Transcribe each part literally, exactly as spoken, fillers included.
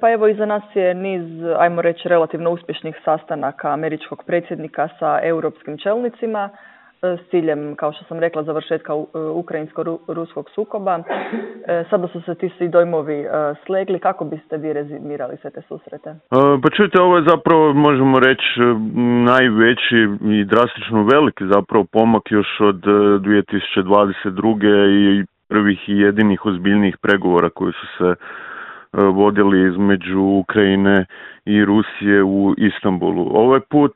Pa evo iza nas je niz, ajmo reći, relativno uspješnih sastanaka američkog predsjednika sa europskim čelnicima s ciljem, kao što sam rekla, završetka ukrajinsko-ruskog sukoba. Sada su se ti svi dojmovi slegli. Kako biste vi rezimirali sve te susrete? Pa čujte, ovo je zapravo, možemo reći, najveći i drastično veliki zapravo pomak još od dvije tisuće dvadeset druge i prvih i jedinih ozbiljnijih pregovora koji su se vodili između Ukrajine i Rusije u Istanbulu. Ovaj put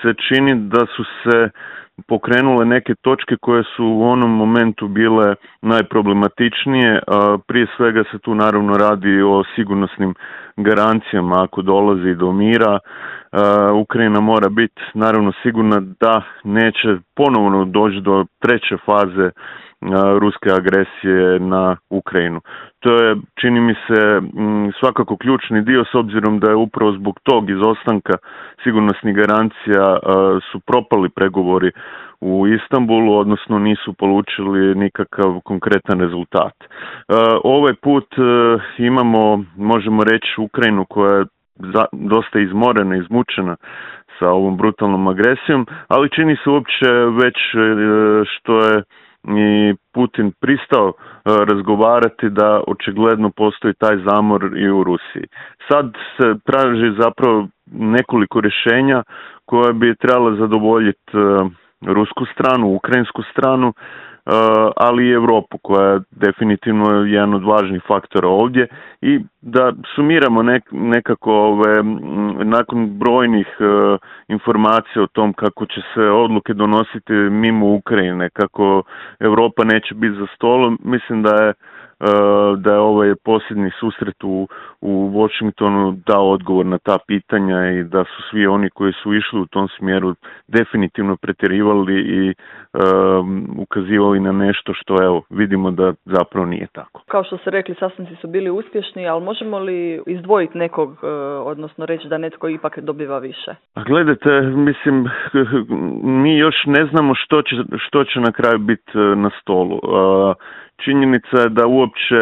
se čini da su se pokrenule neke točke koje su u onom momentu bile najproblematičnije. Prije svega se tu naravno radi o sigurnosnim garancijama ako dolazi do mira. Ukrajina mora biti naravno sigurna da neće ponovno doći do treće faze ruske agresije na Ukrajinu. To je, čini mi se, svakako ključni dio s obzirom da je upravo zbog tog izostanka sigurnosnih garancija su propali pregovori u Istanbulu, odnosno nisu polučili nikakav konkretan rezultat. Ovaj put imamo, možemo reći, Ukrajinu koja je dosta izmorena, izmučena sa ovom brutalnom agresijom, ali čini se uopće već što je i Putin pristao razgovarati da očigledno postoji taj zamor i u Rusiji. Sad se traži zapravo nekoliko rješenja koja bi trebala zadovoljiti rusku stranu, ukrajinsku stranu, ali i Europu koja je definitivno jedan od važnih faktora ovdje i da sumiramo nek, nekako ove, nakon brojnih uh, informacija o tom kako će se odluke donositi mimo Ukrajine, kako Europa neće biti za stolom, mislim da je uh, da je ovaj posljednji susret u, u Washingtonu dao odgovor na ta pitanja i da su svi oni koji su išli u tom smjeru definitivno pretjerivali i uh, ukazivali na nešto što evo vidimo da zapravo nije tako. Kao što ste rekli, sastanci su bili uspješni, ali možemo li izdvojiti nekog, odnosno reći da netko ipak dobiva više? A gledajte, mislim, mi još ne znamo što će, što će na kraju biti na stolu. Činjenica je da uopće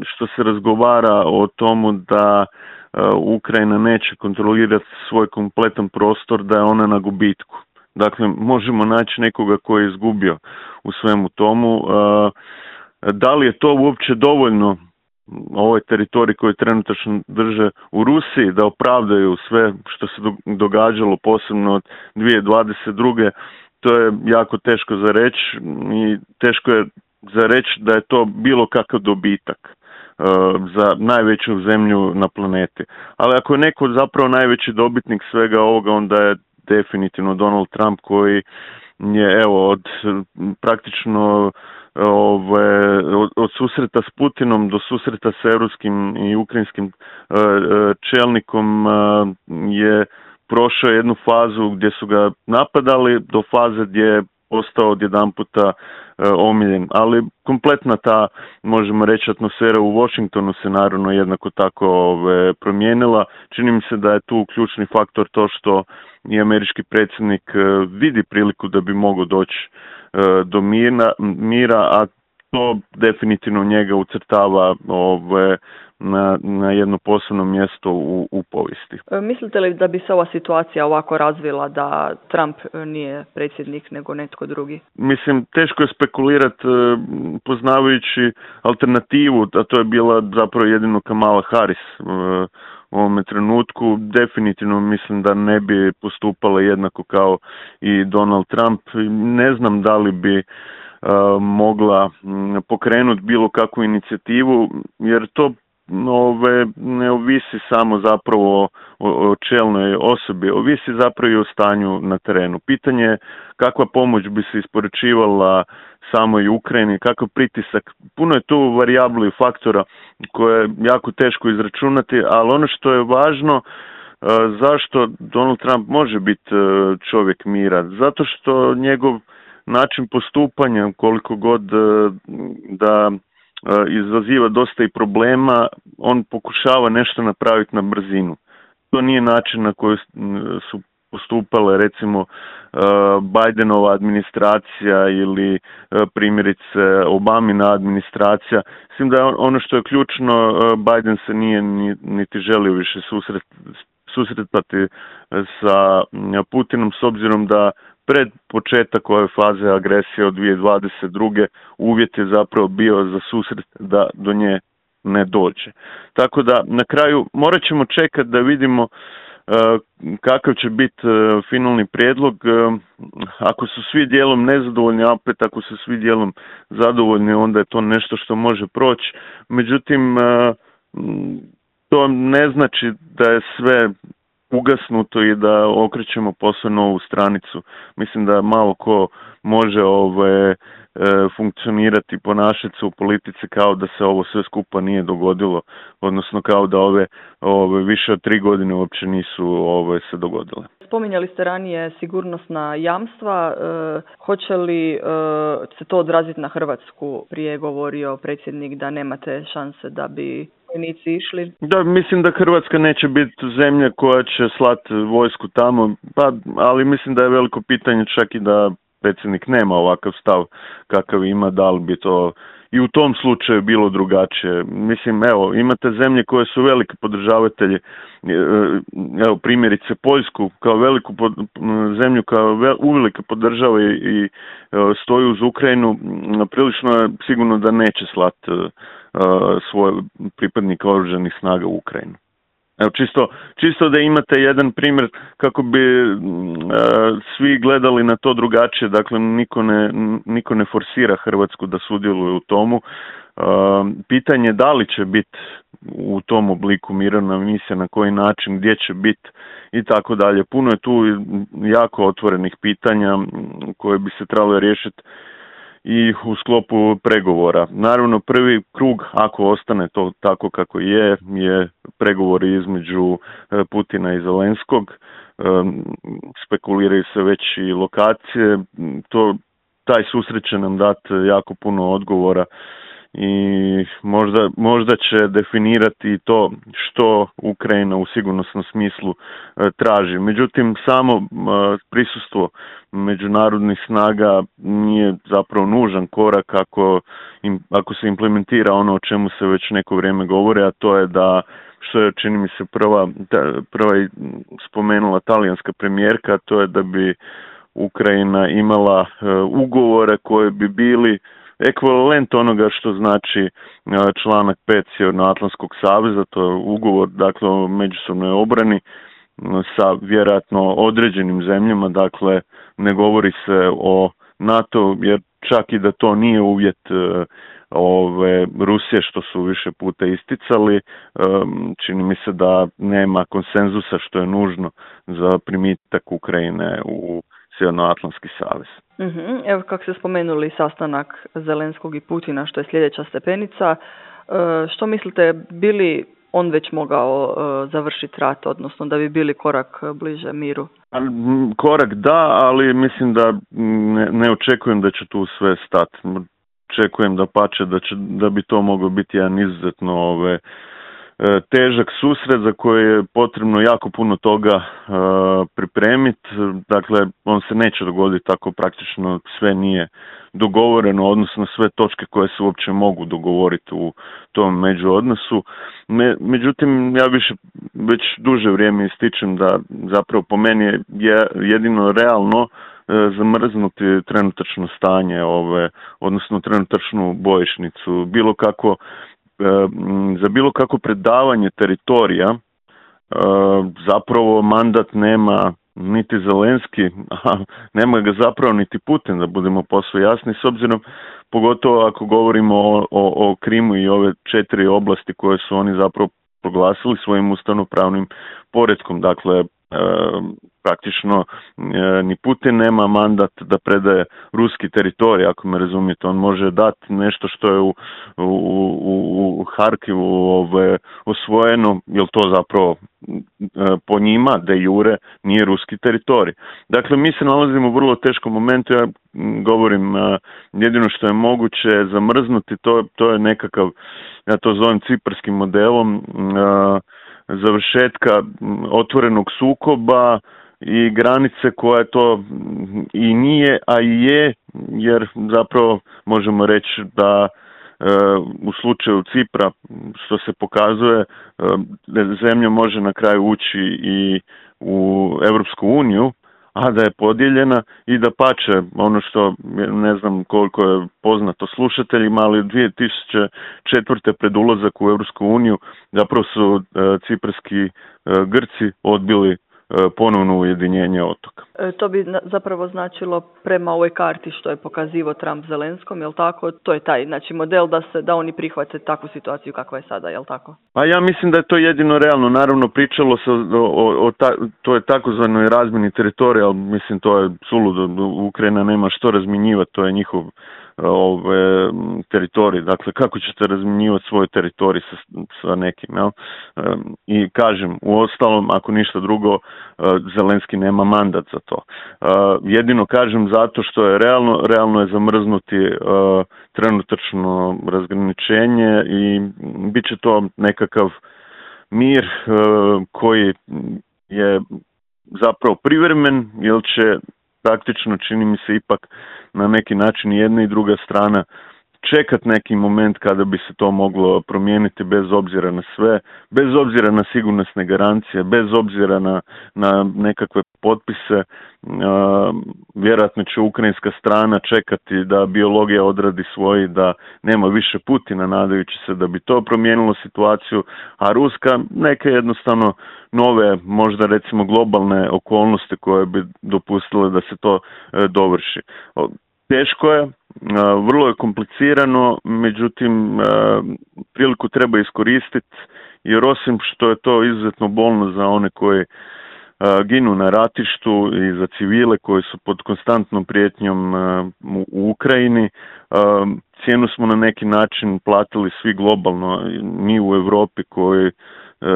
što se razgovara o tomu da Ukrajina neće kontrolirati svoj kompletan prostor, da je ona na gubitku. Dakle, možemo naći nekoga koji je izgubio u svemu tomu. Da li je to uopće dovoljno, ovaj teritorij koji trenutačno drže u Rusiji, da opravdaju sve što se događalo posebno od dvije tisuće dvadeset druge. To je jako teško za reći i teško je za reći da je to bilo kakav dobitak za najveću zemlju na planeti. Ali ako je neko zapravo najveći dobitnik svega ovoga, onda je definitivno Donald Trump koji je evo od praktično ove, od, od susreta s Putinom do susreta s europskim i ukrajinskim uh, čelnikom uh, je prošao jednu fazu gdje su ga napadali do faze gdje je postao odjedanputa uh, omiljen. Ali kompletna ta, možemo reći, atmosfera u Washingtonu se naravno jednako tako ove, promijenila. Čini mi se da je tu ključni faktor to što i američki predsjednik uh, vidi priliku da bi mogao doći do mira, mira, a to definitivno njega ucrtava ove, na, na jedno posebno mjesto u, u povijesti. Mislite li da bi se ova situacija ovako razvila da Trump nije predsjednik nego netko drugi? Mislim, teško je spekulirati poznavajući alternativu, a to je bila zapravo jedino Kamala Harris u ovome trenutku. Definitivno mislim da ne bi postupala jednako kao i Donald Trump. Ne znam da li bi uh, mogla pokrenuti bilo kakvu inicijativu, jer to ove, ne ovisi samo zapravo o, o čelnoj osobi, ovisi zapravo i o stanju na terenu. Pitanje je kakva pomoć bi se isporučivala samoj Ukrajini, kakav pritisak. Puno je tu varijabli i faktora koje je jako teško izračunati, ali ono što je važno, zašto Donald Trump može biti čovjek mira? Zato što njegov način postupanja, koliko god da izaziva dosta i problema, on pokušava nešto napraviti na brzinu. To nije način na koji su postupale recimo Bidenova administracija ili primjerice Obamina administracija. Mislim da ono što je ključno, Biden se nije niti želio više susret, susretati sa Putinom s obzirom da pred početak ove faze agresije od dvije tisuće dvadeset druge uvjet je zapravo bio za susret da do nje ne dođe. Tako da na kraju morat ćemo čekati da vidimo kakav će biti finalni prijedlog. Ako su svi dijelom nezadovoljni, a opet ako su svi dijelom zadovoljni, onda je to nešto što može proći. Međutim, to ne znači da je sve ugasnuto i da okrećemo posve novu stranicu. Mislim da malo ko može ove, funkcionirati, ponašati se u politici kao da se ovo sve skupa nije dogodilo, odnosno kao da ove, ove više od tri godine uopće nisu ove, se dogodile. Spominjali ste ranije sigurnosna jamstva. E, hoće li e, se to odraziti na Hrvatsku? Prije govorio predsjednik da nemate šanse da bi vojnici išli. Da, mislim da Hrvatska neće biti zemlja koja će slati vojsku tamo, pa, ali mislim da je veliko pitanje čak i da predsjednik nema ovakav stav kakav ima, da li bi to i u tom slučaju bilo drugačije. Mislim, evo, imate zemlje koje su veliki podržavatelji, evo primjerice Poljsku kao veliku pod, zemlju koja vel, uvelike podržava i, i stoji uz Ukrajinu, prilično je sigurno da neće slati uh, svoje pripadnike oružanih snaga u Ukrajinu. Evo, čisto, čisto da imate jedan primjer kako bi uh, svi gledali na to drugačije, dakle niko ne, niko ne forsira Hrvatsku da sudjeluje u tomu. Uh, pitanje da li će biti u tom obliku mirovna misija, na koji način, gdje će biti i tako dalje. Puno je tu jako otvorenih pitanja koje bi se trebalo riješiti i u sklopu pregovora. Naravno, prvi krug, ako ostane to tako kako je, je pregovori između Putina i Zelenskog. Spekuliraju se već i lokacije. To, taj susret će nam dati jako puno odgovora i možda, možda će definirati to što Ukrajina u sigurnosnom smislu traži. Međutim, samo prisustvo međunarodnih snaga nije zapravo nužan korak ako, im, ako se implementira ono o čemu se već neko vrijeme govori, a to je da, što je čini mi se prva, prva spomenula talijanska premijerka, to je da bi Ukrajina imala ugovore koje bi bili ekvivalent onoga što znači članak pet Sjevernoatlantskog saveza, to je ugovor, dakle, o međusobnoj obrani sa vjerojatno određenim zemljama, dakle ne govori se o NATO, jer čak i da to nije uvjet ove Rusije, što su više puta isticali, čini mi se da nema konsenzusa što je nužno za primitak Ukrajine u Sjevernoatlantski savez. Uh-huh. Evo, kako ste spomenuli sastanak Zelenskog i Putina, što je sljedeća stepenica, što mislite, bi li on već mogao završiti rat, odnosno da bi bili korak bliže miru? Korak da, ali mislim da ne, ne očekujem da će tu sve stati. Očekujem da pače, da, će, da bi to moglo biti jedan izuzetno ove, težak susret za koji je potrebno jako puno toga uh, pripremiti. Dakle, on se neće dogoditi tako praktično sve nije dogovoreno, odnosno sve točke koje se uopće mogu dogovoriti u tom međuodnosu. Me, međutim, ja više već duže vrijeme ističem da zapravo po meni je jedino realno uh, zamrznuti trenutačno stanje, ove, odnosno trenutačnu bojišnicu, bilo kako za bilo kako predavanje teritorija. Zapravo mandat nema niti Zelenski, a nema ga zapravo niti Putin, da budemo posve jasni, s obzirom pogotovo ako govorimo o, o, o Krimu i ove četiri oblasti koje su oni zapravo proglasili svojim ustavnopravnim poretkom. Dakle, praktično ni Putin nema mandat da predaje ruski teritorij, ako me razumijete. On može dati nešto što je u, u, u, u Harkivu ove, osvojeno, jer to zapravo po njima de jure nije ruski teritorij. Dakle, mi se nalazimo u vrlo teškom momentu. Ja govorim, jedino što je moguće zamrznuti, to, to je nekakav, ja to zovem ciparskim modelom, završetka otvorenog sukoba i granice koja to i nije, a i je, jer zapravo možemo reći da u slučaju Cipra, što se pokazuje, zemlja može na kraju ući i u Europsku uniju, a da je podijeljena i da pače ono što ne znam koliko je poznato slušateljima, ali dvije tisuće četvrte pred ulazak u Europsku uniju zapravo su ciparski Grci odbili ponovno ujedinjenje otoka. E, to bi zapravo značilo prema ovoj karti što je pokazivao Trump Zelenskom, jel tako? To je taj znači model da se da oni prihvate takvu situaciju kakva je sada, jel tako? Pa ja mislim da je to jedino realno. Naravno pričalo se o, o, o ta, to je takozvanoj razmjeni teritorija, ali mislim to je suludo. Ukrajina nema što razminjivati, to je njihov ove teritorij. Dakle, kako ćete razminjivati svoj teritorij sa, sa nekim, jel? I kažem, u ostalom, ako ništa drugo, Zelenski nema mandat za to. Jedino kažem zato što je realno, realno je zamrznuti trenutačno razgraničenje i bit će to nekakav mir koji je zapravo privremen, jer će praktično, čini mi se, ipak na neki način jedna i druga strana čekat neki moment kada bi se to moglo promijeniti bez obzira na sve, bez obzira na sigurnosne garancije, bez obzira na, na nekakve potpise. Uh, vjerojatno će ukrajinska strana čekati da biologija odradi svoji, da nema više Putina, nadajući se da bi to promijenilo situaciju, a ruska neke jednostavno nove, možda recimo globalne okolnosti koje bi dopustile da se to uh, dovrši. Teško je, vrlo je komplicirano, međutim priliku treba iskoristiti, jer osim što je to izuzetno bolno za one koji ginu na ratištu i za civile koji su pod konstantnom prijetnjom u Ukrajini, cijenu smo na neki način platili svi globalno, mi u Europi koji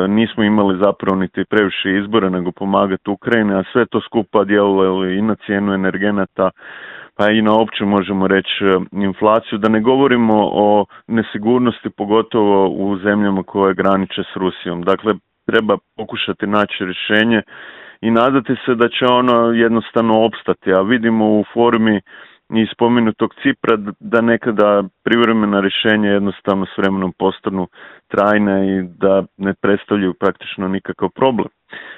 nismo imali zapravo niti previše izbora nego pomagati Ukrajini, a sve to skupa djeluje i na cijenu energenata, pa i na opću možemo reći inflaciju, da ne govorimo o nesigurnosti pogotovo u zemljama koje graniče s Rusijom. Dakle, treba pokušati naći rješenje i nadati se da će ono jednostavno opstati, a vidimo u formi i spomenutog Cipra da nekada privremena rješenja jednostavno s vremenom postanu trajne i da ne predstavljaju praktično nikakav problem.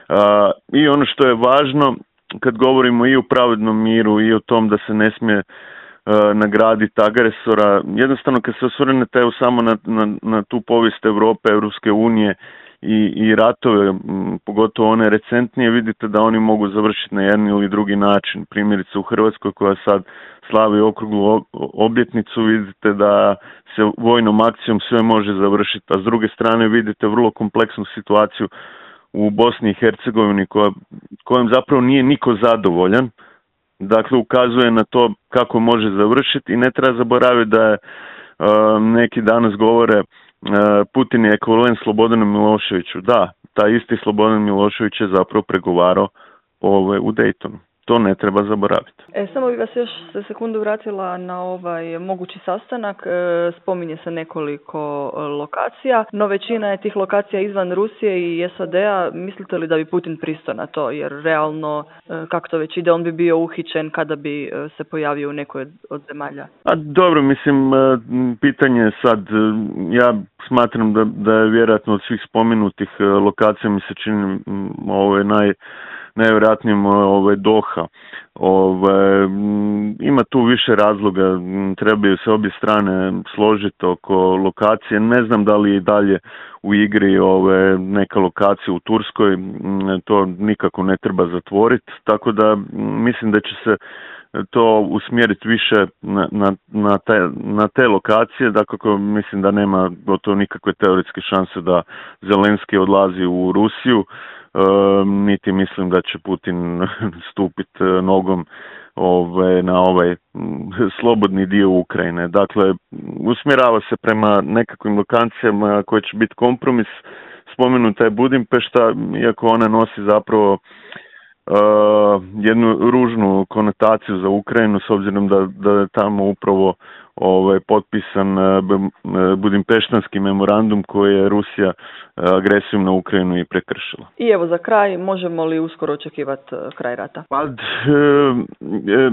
A, i ono što je važno, kad govorimo i o pravednom miru i o tom da se ne smije uh, nagraditi agresora, jednostavno kad se osvrnete samo na, na, na tu povijest Europe, Europske unije i, i ratove, m, pogotovo one recentnije, vidite da oni mogu završiti na jedan ili drugi način. Primjerice u Hrvatskoj koja sad slavi okruglu obljetnicu, vidite da se vojnom akcijom sve može završiti, a s druge strane vidite vrlo kompleksnu situaciju u Bosni i Hercegovini koja, kojom zapravo nije niko zadovoljan. Dakle, ukazuje na to kako može završiti i ne treba zaboraviti da je uh, neki danas govore uh, Putin je ekvivalent Slobodanu Miloševiću. Da, taj isti Slobodan Milošević je zapravo pregovarao ove, u Daytonu. To ne treba zaboraviti. E, samo bih vas još se sekundu vratila na ovaj mogući sastanak. E, spominje se nekoliko lokacija, no većina je tih lokacija izvan Rusije i S A D-a. Mislite li da bi Putin pristao na to? Jer realno, e, kako to već ide, on bi bio uhićen kada bi e, se pojavio u nekoj od zemalja. A dobro, mislim, pitanje je sad, ja smatram da, da je vjerojatno od svih spomenutih lokacija mi se čini ovo je naj najvjerojatnijem ove Doha. Ove, ima tu više razloga, trebaju se obje strane složiti oko lokacije. Ne znam da li je i dalje u igri ove neka lokacija u Turskoj, to nikako ne treba zatvoriti, tako da mislim da će se to usmjeriti više na, na, na, te, na te lokacije, dakako mislim da nema gotovo nikakve teoretske šanse da Zelenski odlazi u Rusiju. E, niti mislim da će Putin stupiti nogom ove, na ovaj slobodni dio Ukrajine. Dakle, usmjerava se prema nekakvim lokacijama koje će biti kompromis. Spomenuta je Budimpešta, iako ona nosi zapravo jednu ružnu konotaciju za Ukrajinu, s obzirom da, da je tamo upravo ovaj, potpisan Budimpeštanski memorandum koji je Rusija agresijom na Ukrajinu i prekršila. I evo za kraj, možemo li uskoro očekivati kraj rata? Pa, e, e,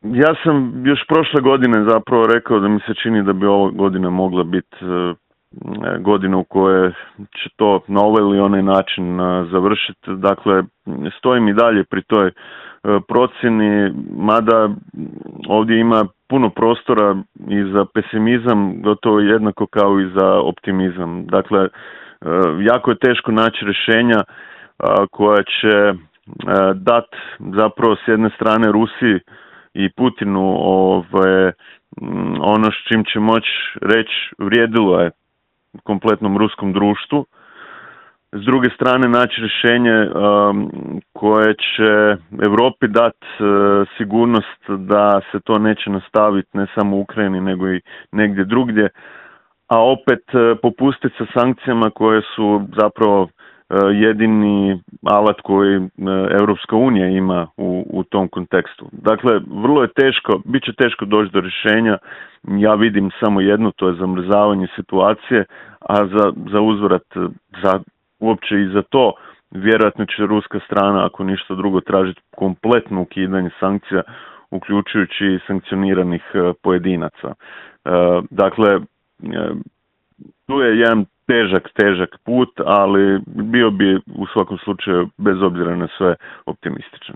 ja sam još prošle godine zapravo rekao da mi se čini da bi ova godina mogla biti e, godina u kojoj će to na ovaj ili onaj način završiti. Dakle, stojim i dalje pri toj procjeni, mada ovdje ima puno prostora i za pesimizam, gotovo jednako kao i za optimizam. Dakle, jako je teško naći rješenja koja će dati zapravo s jedne strane Rusiji i Putinu ove, ono s čim će moći reći vrijedilo je kompletnom ruskom društvu. S druge strane naći rješenje um, koje će Europi dati uh, sigurnost da se to neće nastaviti ne samo u Ukrajini nego i negdje drugdje, a opet uh, popustiti sa sankcijama koje su zapravo uh, jedini alat koji uh, Europska unija ima u, u tom kontekstu. Dakle, vrlo je teško, bit će teško doći do rješenja. Ja vidim samo jedno, to je zamrzavanje situacije, a za, za uzvrat, za uopće i za to vjerojatno će ruska strana, ako ništa drugo, tražiti kompletno ukidanje sankcija, uključujući i sankcioniranih pojedinaca. Dakle, tu je jedan težak, težak put, ali bio bi u svakom slučaju, bez obzira na sve, optimističan.